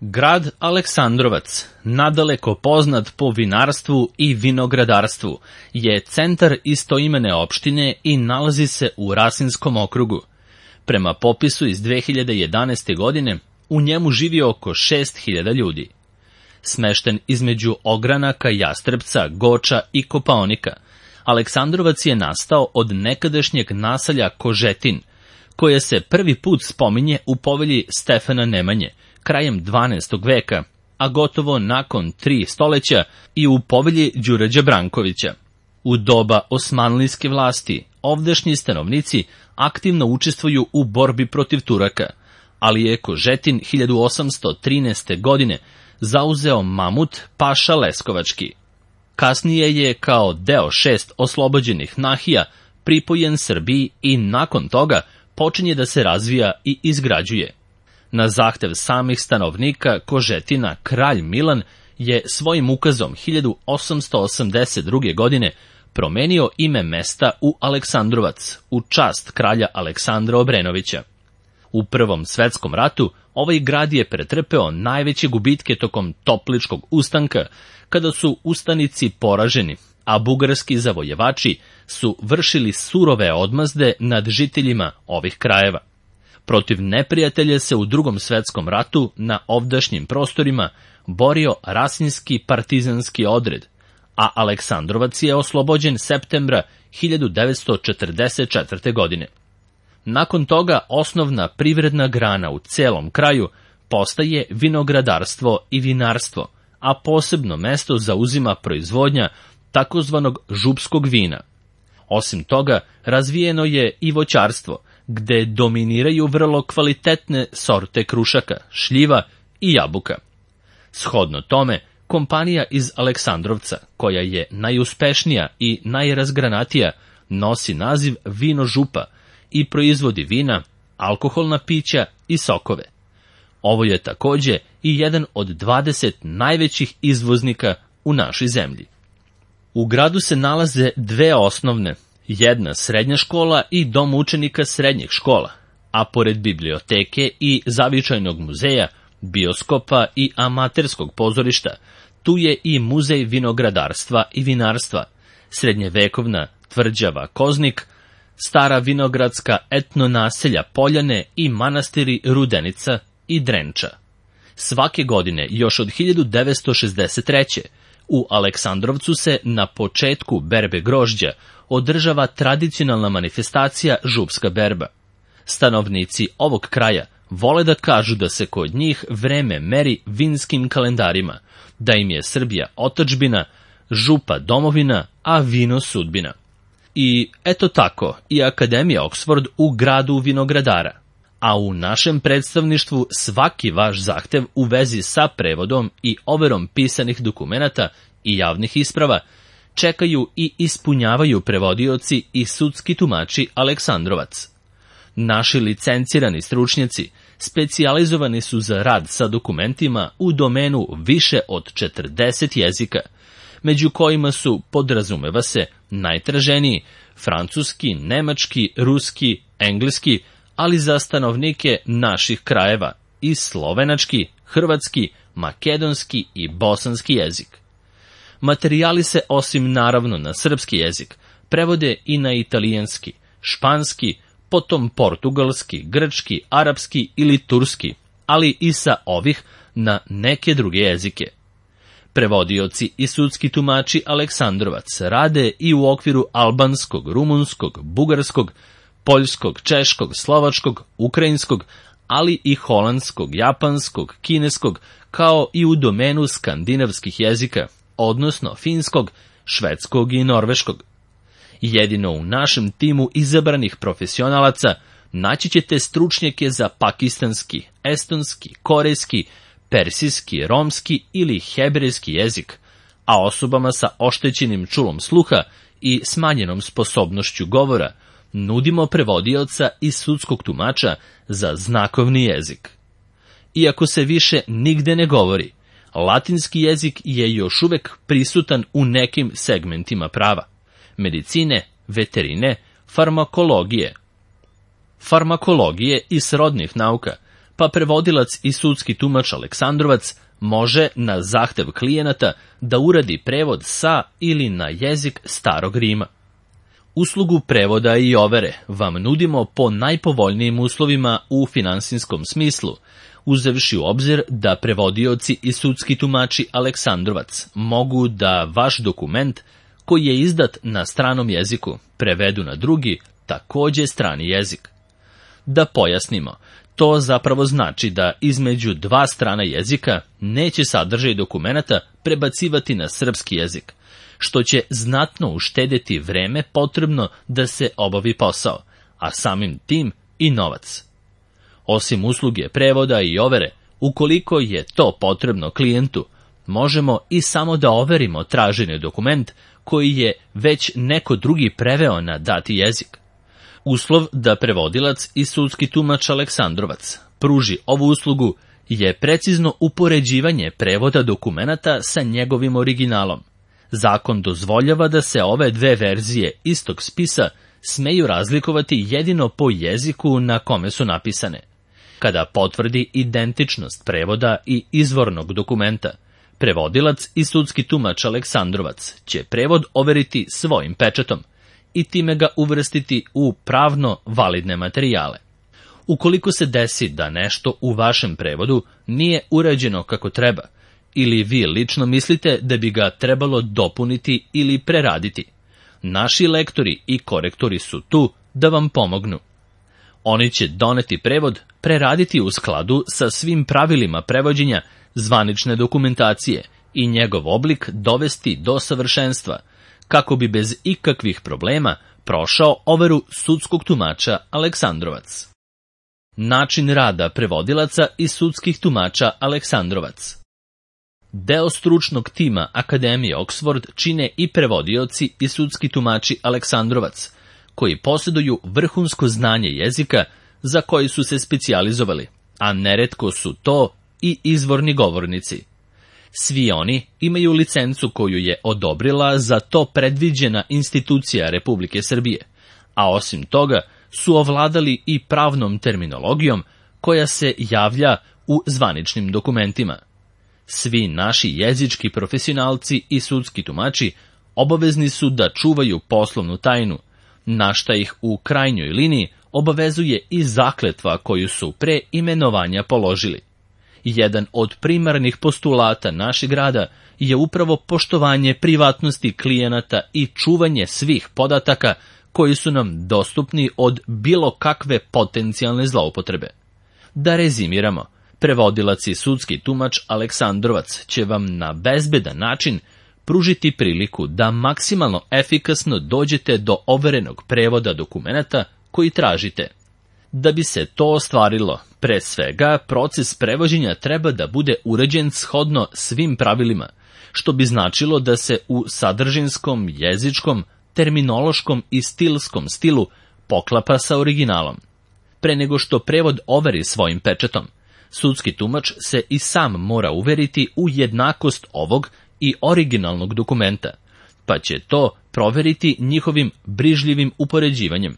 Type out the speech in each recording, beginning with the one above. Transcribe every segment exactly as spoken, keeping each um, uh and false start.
Grad Aleksandrovac, nadaleko poznat po vinarstvu i vinogradarstvu, je centar istoimene opštine i nalazi se u Rasinskom okrugu. Prema popisu iz dve hiljade jedanaeste. godine, u njemu živi oko šest hiljada ljudi. Smešten između ogranaka Jastrebca, Goča i Kopaonika, Aleksandrovac je nastao od nekadašnjeg naselja Kožetin, koje se prvi put spominje u povelji Stefana Nemanje, krajem dvanaestog veka, a gotovo nakon tri stoleća i u povelji Đurađa Brankovića. U doba osmanlijske vlasti ovdašnji stanovnici aktivno učestvuju u borbi protiv Turaka, ali je Kožetin hiljadu osamsto trinaeste. godine zauzeo Mamut Paša Leskovački. Kasnije je kao deo šest oslobođenih nahija pripojen Srbiji i nakon toga počinje da se razvija i izgrađuje. Na zahtev samih stanovnika Kožetina, kralj Milan je svojim ukazom hiljadu osamsto osamdeset druge. godine promenio ime mesta u Aleksandrovac u čast kralja Aleksandra Obrenovića. U Prvom svetskom ratu ovaj grad je pretrpeo najveće gubitke tokom Topličkog ustanka, kada su ustanici poraženi, a bugarski zavojevači su vršili surove odmazde nad žiteljima ovih krajeva. Protiv neprijatelja se u Drugom svetskom ratu na ovdašnjim prostorima borio Rasinski partizanski odred, a Aleksandrovac je oslobođen septembra hiljadu devetsto četrdeset četvrte. godine. Nakon toga osnovna privredna grana u celom kraju postaje vinogradarstvo i vinarstvo, a posebno mesto zauzima proizvodnja takozvanog župskog vina. Osim toga, razvijeno je i voćarstvo, gde dominiraju vrlo kvalitetne sorte krušaka, šljiva i jabuka. Shodno tome, kompanija iz Aleksandrovca, koja je najuspešnija i najrazgranatija, nosi naziv Vino župa i proizvodi vina, alkoholna pića i sokove. Ovo je takođe i jedan od dvadeset najvećih izvoznika u našoj zemlji. U gradu se nalaze dve osnovne, jedna srednja škola i dom učenika srednjih škola, a pored biblioteke i zavičajnog muzeja, bioskopa i amaterskog pozorišta, tu je i muzej vinogradarstva i vinarstva, srednjevekovna tvrđava Koznik, stara vinogradska etno naselja Poljane i manastiri Rudenica i Drenča. Svake godine, još od hiljadu devetsto šezdeset treće. u Aleksandrovcu se na početku berbe grožđa održava tradicionalna manifestacija župska berba. Stanovnici ovog kraja vole da kažu da se kod njih vreme meri vinskim kalendarima, da im je Srbija otadžbina, župa domovina, a vino sudbina. I eto tako, i Akademija Oxford u gradu vinogradara. A u našem predstavništvu svaki vaš zahtev u vezi sa prevodom i overom pisanih dokumenata i javnih isprava čekaju i ispunjavaju prevodioci i sudski tumači Aleksandrovac. Naši licencirani stručnjaci specijalizovani su za rad sa dokumentima u domenu više od četrdeset jezika, među kojima su, podrazumeva se, najtraženiji francuski, nemački, ruski, engleski, ali za stanovnike naših krajeva i slovenački, hrvatski, makedonski i bosanski jezik. Materijali se, osim naravno na srpski jezik, prevode i na italijanski, španski, potom portugalski, grčki, arapski ili turski, ali i sa ovih na neke druge jezike. Prevodioci i sudski tumači Aleksandrovac rade i u okviru albanskog, rumunskog, bugarskog, poljskog, češkog, slovačkog, ukrajinskog, ali i holandskog, japanskog, kineskog, kao i u domenu skandinavskih jezika, odnosno finskog, švedskog i norveškog. Jedino u našem timu izabranih profesionalaca naći ćete stručnjake za pakistanski, estonski, korejski, persijski, romski ili hebrejski jezik, a osobama sa oštećenim čulom sluha i smanjenom sposobnošću govora nudimo prevodioca i sudskog tumača za znakovni jezik. Iako se više nigde ne govori, latinski jezik je još uvek prisutan u nekim segmentima prava, medicine, veterine, farmakologije, farmakologije i srodnih nauka, pa prevodilac i sudski tumač Aleksandrovac može na zahtev klijenata da uradi prevod sa ili na jezik Starog Rima. Uslugu prevoda i overe vam nudimo po najpovoljnijim uslovima u finansijskom smislu, uzevši u obzir da prevodioci i sudski tumači Aleksandrovac mogu da vaš dokument, koji je izdat na stranom jeziku, prevedu na drugi, takođe strani jezik. Da pojasnimo, to zapravo znači da između dva strana jezika neće sadržaj dokumenata prebacivati na srpski jezik, što će znatno uštedeti vreme potrebno da se obavi posao, a samim tim i novac. Osim usluge prevoda i overe, ukoliko je to potrebno klijentu, možemo i samo da overimo traženi dokument koji je već neko drugi preveo na dati jezik. Uslov da prevodilac i sudski tumač Aleksandrovac pruži ovu uslugu je precizno upoređivanje prevoda dokumenata sa njegovim originalom. Zakon dozvoljava da se ove dve verzije istog spisa smeju razlikovati jedino po jeziku na kome su napisane. Kada potvrdi identičnost prevoda i izvornog dokumenta, prevodilac i sudski tumač Aleksandrovac će prevod overiti svojim pečatom i time ga uvrstiti u pravno validne materijale. Ukoliko se desi da nešto u vašem prevodu nije urađeno kako treba, ili vi lično mislite da bi ga trebalo dopuniti ili preraditi, naši lektori i korektori su tu da vam pomognu. Oni će doneti prevod, preraditi u skladu sa svim pravilima prevođenja zvanične dokumentacije i njegov oblik dovesti do savršenstva, kako bi bez ikakvih problema prošao overu sudskog tumača Aleksandrovac. Način rada prevodilaca i sudskih tumača Aleksandrovac. Deo stručnog tima Akademije Oxford čine i prevodioci i sudski tumači Aleksandrovac, koji posjeduju vrhunsko znanje jezika za koji su se specijalizovali, a neretko su to i izvorni govornici. Svi oni imaju licencu koju je odobrila za to predviđena institucija Republike Srbije, a osim toga su ovladali i pravnom terminologijom koja se javlja u zvaničnim dokumentima. Svi naši jezički profesionalci i sudski tumači obavezni su da čuvaju poslovnu tajnu, na šta ih u krajnjoj liniji obavezuje i zakletva koju su pre imenovanja položili. Jedan od primarnih postulata našeg rada je upravo poštovanje privatnosti klijenata i čuvanje svih podataka koji su nam dostupni od bilo kakve potencijalne zloupotrebe. Da rezimiramo, prevodilac i sudski tumač Aleksandrovac će vam na bezbedan način pružiti priliku da maksimalno efikasno dođete do overenog prevoda dokumenata koji tražite. Da bi se to ostvarilo, pre svega, proces prevođenja treba da bude uređen shodno svim pravilima, što bi značilo da se u sadržinskom, jezičkom, terminološkom i stilskom stilu poklapa sa originalom. Pre nego što prevod overi svojim pečatom, sudski tumač se i sam mora uveriti u jednakost ovog i originalnog dokumenta, pa će to proveriti njihovim brižljivim upoređivanjem.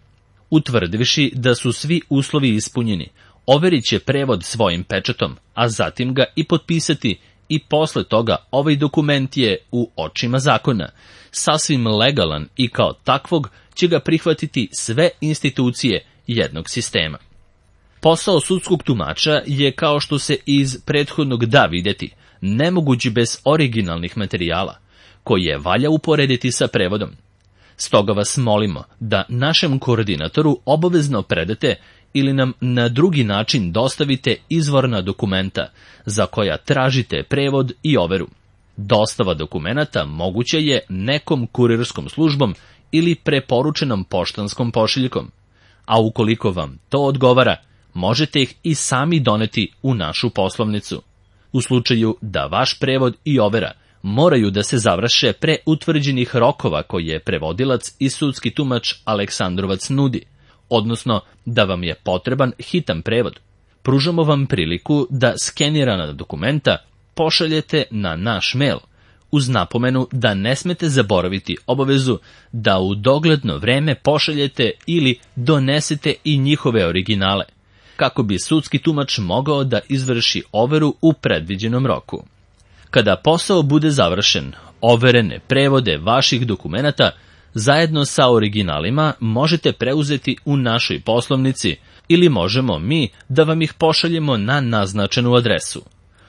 Utvrdivši da su svi uslovi ispunjeni, overit će prevod svojim pečatom, a zatim ga i potpisati i posle toga ovaj dokument je u očima zakona, sasvim legalan i kao takvog će ga prihvatiti sve institucije jednog sistema. Posao sudskog tumača je, kao što se iz prethodnog da videti, nemoguć bez originalnih materijala, koje valja uporediti sa prevodom. Stoga vas molimo da našem koordinatoru obavezno predate ili nam na drugi način dostavite izvorna dokumenta za koja tražite prevod i overu. Dostava dokumenata moguća je nekom kurirskom službom ili preporučenom poštanskom pošiljkom, a ukoliko vam to odgovara, možete ih i sami doneti u našu poslovnicu. U slučaju da vaš prevod i overa moraju da se završe pre utvrđenih rokova koje prevodilac i sudski tumač Aleksandrovac nudi, odnosno da vam je potreban hitan prevod, pružamo vam priliku da skenirana dokumenta pošaljete na naš mail, uz napomenu da ne smete zaboraviti obavezu da u dogledno vreme pošaljete ili donesete i njihove originale. kako bi sudski tumač mogao da izvrši overu u predviđenom roku. Kada posao bude završen, overene prevode vaših dokumenata zajedno sa originalima možete preuzeti u našoj poslovnici ili možemo mi da vam ih pošaljemo na naznačenu adresu.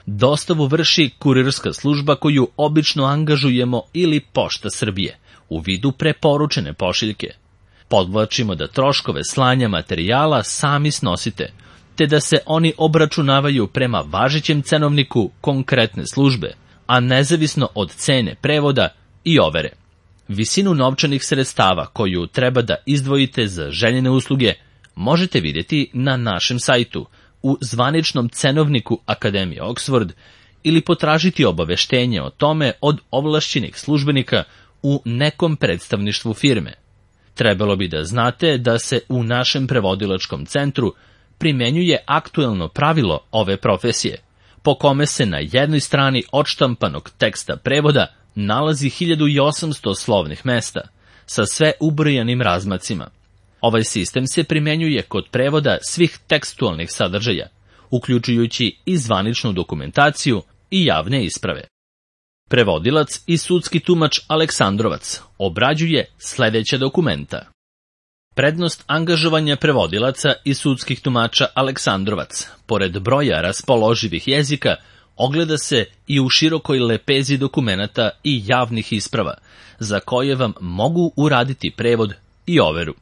Dostavu vrši kurirska služba koju obično angažujemo ili Pošta Srbije u vidu preporučene pošiljke. Podvlačimo da troškove slanja materijala sami snosite, te da se oni obračunavaju prema važećem cenovniku konkretne službe, a nezavisno od cene prevoda i overe. Visinu novčanih sredstava koju treba da izdvojite za željene usluge možete vidjeti na našem sajtu u zvaničnom cenovniku Akademije Oxford ili potražiti obaveštenje o tome od ovlašćenih službenika u nekom predstavništvu firme. Trebalo bi da znate da se u našem prevodilačkom centru primenjuje aktuelno pravilo ove profesije, po kome se na jednoj strani odštampanog teksta prevoda nalazi hiljadu osamsto slovnih mesta, sa sve ubrojanim razmacima. Ovaj sistem se primenjuje kod prevoda svih tekstualnih sadržaja, uključujući i zvaničnu dokumentaciju i javne isprave. Prevodilac i sudski tumač Aleksandrovac obrađuje sledeća dokumenta. Prednost angažovanja prevodilaca i sudskih tumača Aleksandrovac, pored broja raspoloživih jezika, ogleda se i u širokoj lepezi dokumenata i javnih isprava, za koje vam mogu uraditi prevod i overu.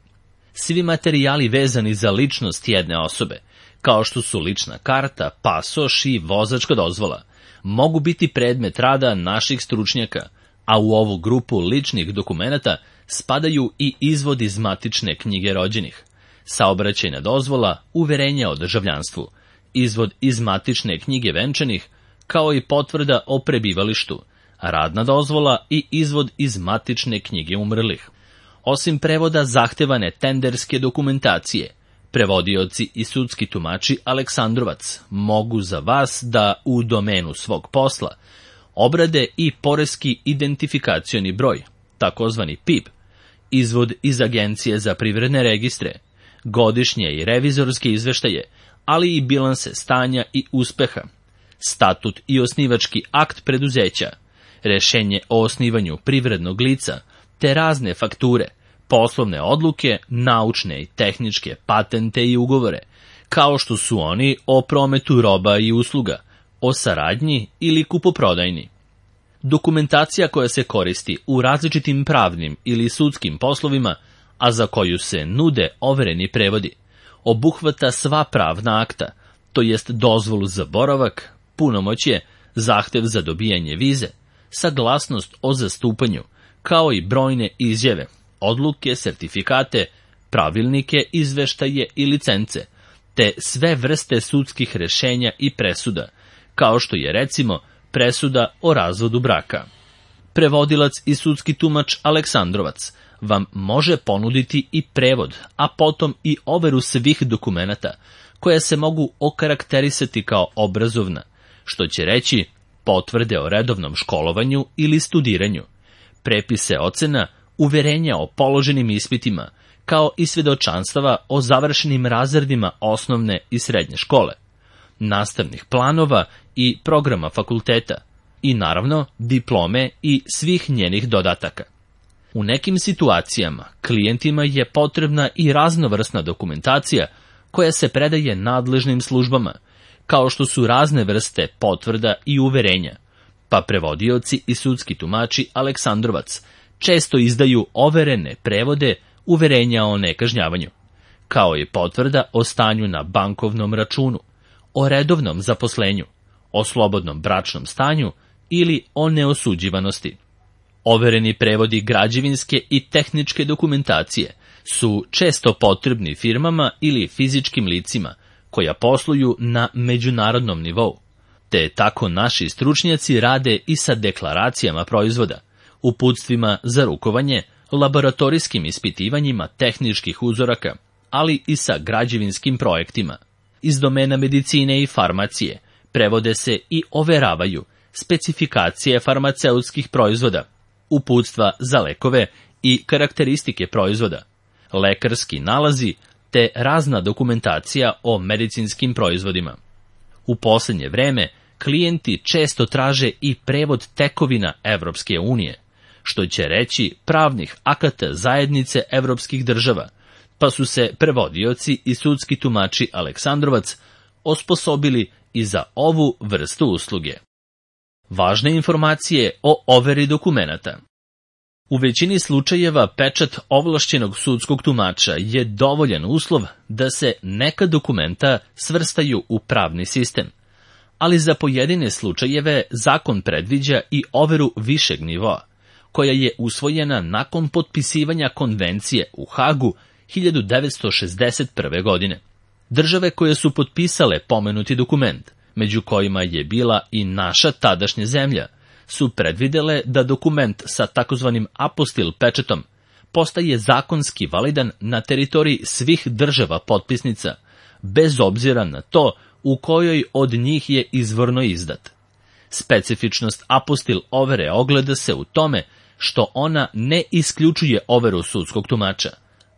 Svi materijali vezani za ličnost jedne osobe, kao što su lična karta, pasoš i vozačka dozvola, mogu biti predmet rada naših stručnjaka, a u ovu grupu ličnih dokumenata spadaju i izvod iz matične knjige rođenih, saobraćajna dozvola, uverenja o državljanstvu, izvod iz matične knjige venčanih, kao i potvrda o prebivalištu, radna dozvola i izvod iz matične knjige umrlih. Osim prevoda zahtevane tenderske dokumentacije, prevodioci i sudski tumači Aleksandrovac mogu za vas da u domenu svog posla obrade i poreski identifikacioni broj, takozvani P I B, izvod iz Agencije za privredne registre, godišnje i revizorske izveštaje, ali i bilanse stanja i uspeha, statut i osnivački akt preduzeća, rešenje o osnivanju privrednog lica, te razne fakture, poslovne odluke, naučne i tehničke patente i ugovore, kao što su oni o prometu roba i usluga, o saradnji ili kupoprodajni. Dokumentacija koja se koristi u različitim pravnim ili sudskim poslovima, a za koju se nude overeni prevodi, obuhvata sva pravna akta, to jest dozvolu za boravak, punomoćje, zahtev za dobijanje vize, saglasnost o zastupanju, kao i brojne izjave, odluke, sertifikate, pravilnike, izveštaje i licence, te sve vrste sudskih rešenja i presuda, kao što je recimo presuda o razvodu braka. Prevodilac i sudski tumač Aleksandrovac vam može ponuditi i prevod, a potom i overu svih dokumenata, koja se mogu okarakterisati kao obrazovna, što će reći potvrde o redovnom školovanju ili studiranju, prepise ocena, uverenja o položenim ispitima, kao i svedočanstava o završenim razredima osnovne i srednje škole, nastavnih planova i programa fakulteta, i naravno diplome i svih njenih dodataka. U nekim situacijama klijentima je potrebna i raznovrsna dokumentacija koja se predaje nadležnim službama, kao što su razne vrste potvrda i uverenja, pa prevodioci i sudski tumači Aleksandrovac često izdaju overene prevode uverenja o nekažnjavanju, kao i potvrda o stanju na bankovnom računu, o redovnom zaposlenju, o slobodnom bračnom stanju ili o neosuđivanosti. Overeni prevodi građevinske i tehničke dokumentacije su često potrebni firmama ili fizičkim licima koja posluju na međunarodnom nivou, te tako naši stručnjaci rade i sa deklaracijama proizvoda, uputstvima za rukovanje, laboratorijskim ispitivanjima tehničkih uzoraka, ali i sa građevinskim projektima. Iz domena medicine i farmacije prevode se i overavaju specifikacije farmaceutskih proizvoda, uputstva za lekove i karakteristike proizvoda, lekarski nalazi, te razna dokumentacija o medicinskim proizvodima. U poslednje vreme klijenti često traže i prevod tekovina Evropske unije, što će reći pravnih akata zajednice evropskih država, pa su se prevodioci i sudski tumači Aleksandrovac osposobili i za ovu vrstu usluge. Važne informacije o overi dokumenata. U većini slučajeva pečat ovlašćenog sudskog tumača je dovoljan uslov da se neka dokumenta svrstaju u pravni sistem, ali za pojedine slučajeve zakon predviđa i overu višeg nivoa, koja je usvojena nakon potpisivanja konvencije u Hagu hiljadu devetsto šezdeset prve. godine. Države koje su potpisale pomenuti dokument, među kojima je bila i naša tadašnja zemlja, su predvidele da dokument sa takozvanim apostil pečetom postaje zakonski validan na teritoriji svih država potpisnica, bez obzira na to u kojoj od njih je izvorno izdat. Specifičnost apostil overe ogleda se u tome što ona ne isključuje overu sudskog tumača,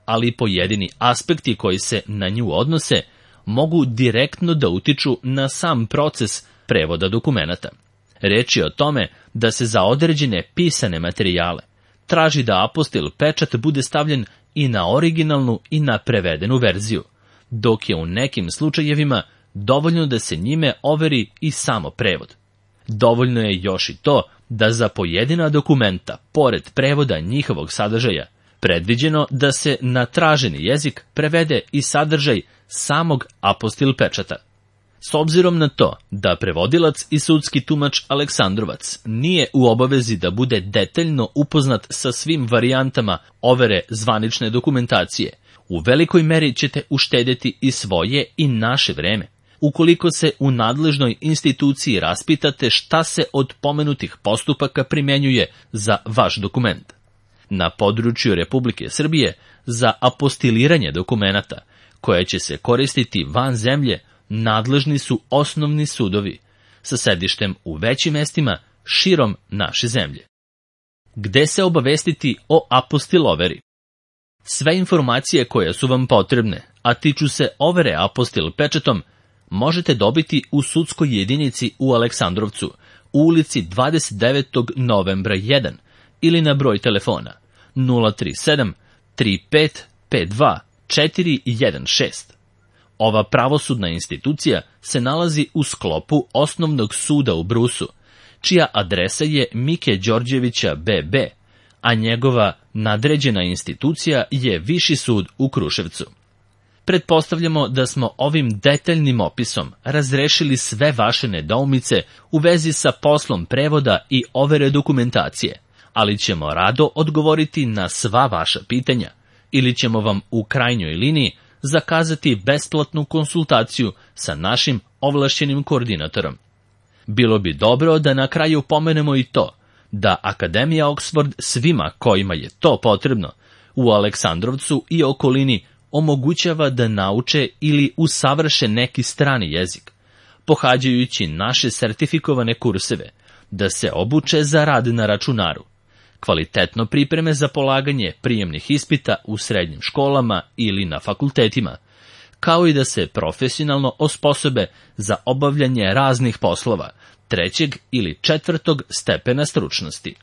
ali pojedini aspekti koji se na nju odnose mogu direktno da utiču na sam proces prevoda dokumenata. Reč je o tome da se za određene pisane materijale traži da apostil pečat bude stavljen i na originalnu i na prevedenu verziju, dok je u nekim slučajevima dovoljno da se njime overi i samo prevod. Dovoljno je još i to da za pojedina dokumenta, pored prevoda njihovog sadržaja, predviđeno da se na traženi jezik prevede i sadržaj samog apostil pečata. S obzirom na to da prevodilac i sudski tumač Aleksandrovac nije u obavezi da bude detaljno upoznat sa svim varijantama overe zvanične dokumentacije, u velikoj meri ćete uštedjeti i svoje i naše vreme, ukoliko se u nadležnoj instituciji raspitate šta se od pomenutih postupaka primenjuje za vaš dokument. Na području Republike Srbije za apostiliranje dokumenata, koje će se koristiti van zemlje, nadležni su osnovni sudovi, sa sedištem u većim mestima širom naše zemlje. Gde se obavestiti o apostil overi? Sve informacije koje su vam potrebne, a tiču se overe apostil pečatom, možete dobiti u sudskoj jedinici u Aleksandrovcu, u ulici dvadeset devetog novembra jedan ili na broj telefona nula tri sedam tri pet pet dva četiri jedan šest. Ova pravosudna institucija se nalazi u sklopu Osnovnog suda u Brusu, čija adresa je Mike Đorđevića be be, a njegova nadređena institucija je Viši sud u Kruševcu. Pretpostavljamo da smo ovim detaljnim opisom razrešili sve vaše nedoumice u vezi sa poslom prevoda i overe dokumentacije, ali ćemo rado odgovoriti na sva vaša pitanja ili ćemo vam u krajnjoj liniji zakazati besplatnu konsultaciju sa našim ovlašćenim koordinatorom. Bilo bi dobro da na kraju pomenemo i to da Akademija Oxford svima kojima je to potrebno u Aleksandrovcu i okolini omogućava da nauče ili usavrše neki strani jezik, pohađajući naše sertifikovane kurseve, da se obuče za rad na računaru, kvalitetno pripreme za polaganje prijemnih ispita u srednjim školama ili na fakultetima, kao i da se profesionalno osposobe za obavljanje raznih poslova trećeg ili četvrtog stepena stručnosti.